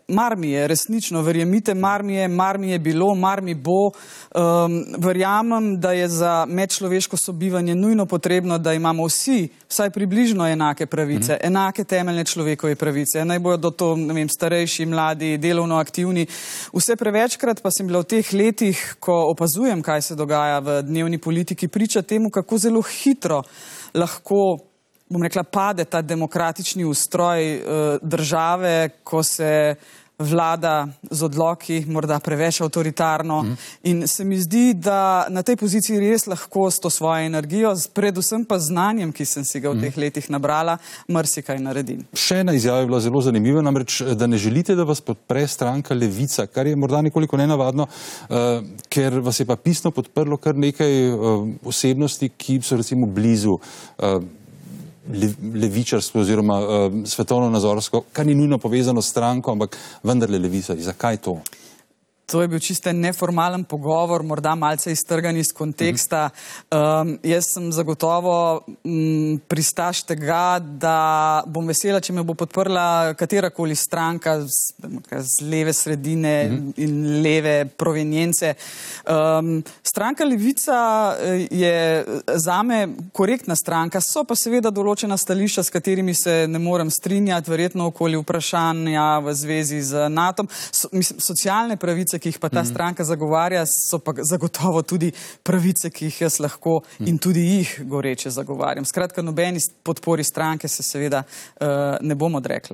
mar mi je, resnično, verjemite, mar mi je bilo, mar mi bo. Verjamem, da je za medčloveško sobivanje nujno potrebno, da imamo vsi vsaj približno enake pravice, enake temeljne človekove pravice. Naj bodo to, ne vem, starejši, mladi, delovno aktivni. Vse prevečkrat pa sem bila v teh letih, ko opazujem, kaj se dogaja v dnevni politiki, priča temu, kako zelo hitro lahko, bom rekla, pade ta demokratični ustroj države, ko se vlada z odloki, morda preveč avtoritarno. In se mi zdi, da na tej poziciji res lahko s to svojo energijo, predvsem pa znanjem, ki sem si ga v teh letih nabrala, marsikaj naredim. Še ena izjava je bila zelo zanimiva, namreč, da ne želite, da vas podpre stranka Levica, kar je morda nekoliko nenavadno, ker vas je pa pisno podprlo kar nekaj osebnosti, ki so recimo blizu levičarsko oziroma svetovno-nazorsko, kar ni nujno povezano s stranko, ampak vendarle Levica. Zakaj to? To je bil čisto neformalen pogovor, morda malce iztrgan iz konteksta. Jaz sem zagotovo pristaš tega, da bom vesela, če me bo podprla katerakoli stranka z leve sredine in leve provenience. Stranka Levica je zame korektna stranka, so pa seveda določena stališča, s katerimi se ne morem strinjati, verjetno okoli vprašanja v zvezi z NATO. Socialne pravice, ki jih pa ta stranka zagovarja, so pa zagotovo tudi pravice, ki jih jaz lahko in tudi jih goreče zagovarjam. Skratka, nobeni podpori stranke se seveda ne bom odrekla.